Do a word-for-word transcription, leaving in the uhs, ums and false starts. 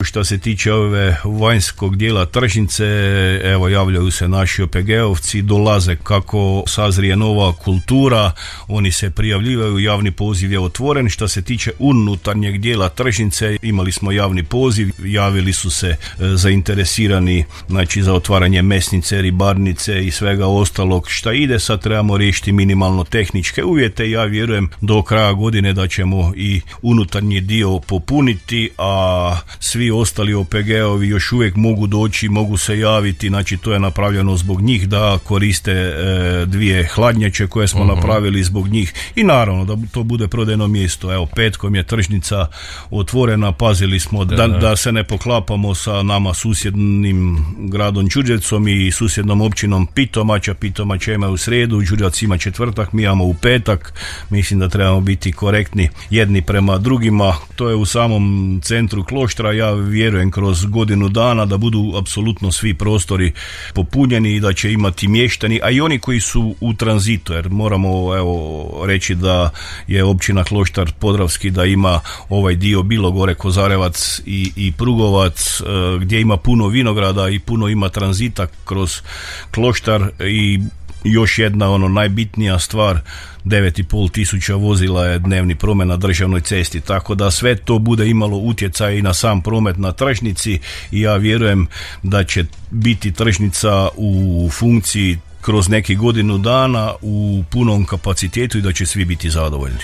što se tiče ove vanjskog dijela tržnice, evo javljaju se naši O P G-ovci, dolaze kako sazrije nova kultura, oni se prijavljivaju, javni poziv je otvoren. Što se tiče unutarnjeg dijela tržnice, imali smo javni poziv, javili su se e, zainteresirani, znači za otvaranje mesnice, ribarnice i svega ostalog šta ide. Sad trebamo riješiti minimalno tehničke uvjete i ja vjerujem do kraja godine da ćemo i unutarnji dio popuniti, a svi ostali O P G-ovi još uvijek mogu doći, mogu se javiti, znači to je napravljeno zbog njih da koriste e, dvije hladnjače koje smo uh-huh. napravili zbog njih i naravno da to bude prodajno mjesto. Evo, petkom je tržnica otvorena, pazili smo da, da, da se ne poklapamo sa nama susjednim gradom Đurđevcom i susjednom općinom Pitomača. Pitomača ima u srijedu, Đurđevac ima četvrtak, mi imamo u petak. Mislim da trebamo biti korektni jedni prema drugima. To je u samom centru Kloštra. Ja vjerujem kroz godinu dana da budu apsolutno svi prostori popunjeni i da će imati mještani, a i oni koji su u tranzitu, jer moramo evo reći da je općina Kloštar Podravski, da ima ovaj dio Bilogore, Kozarevac i, i Prugovac, gdje ima puno vinograda i puno ima tranzita kroz Kloštar. I još jedna ono najbitnija stvar, devet i pol tisuća vozila je dnevni promet na državnoj cesti, tako da sve to bude imalo utjecaj i na sam promet na tržnici i ja vjerujem da će biti tržnica u funkciji kroz neki godinu dana u punom kapacitetu i da će svi biti zadovoljni.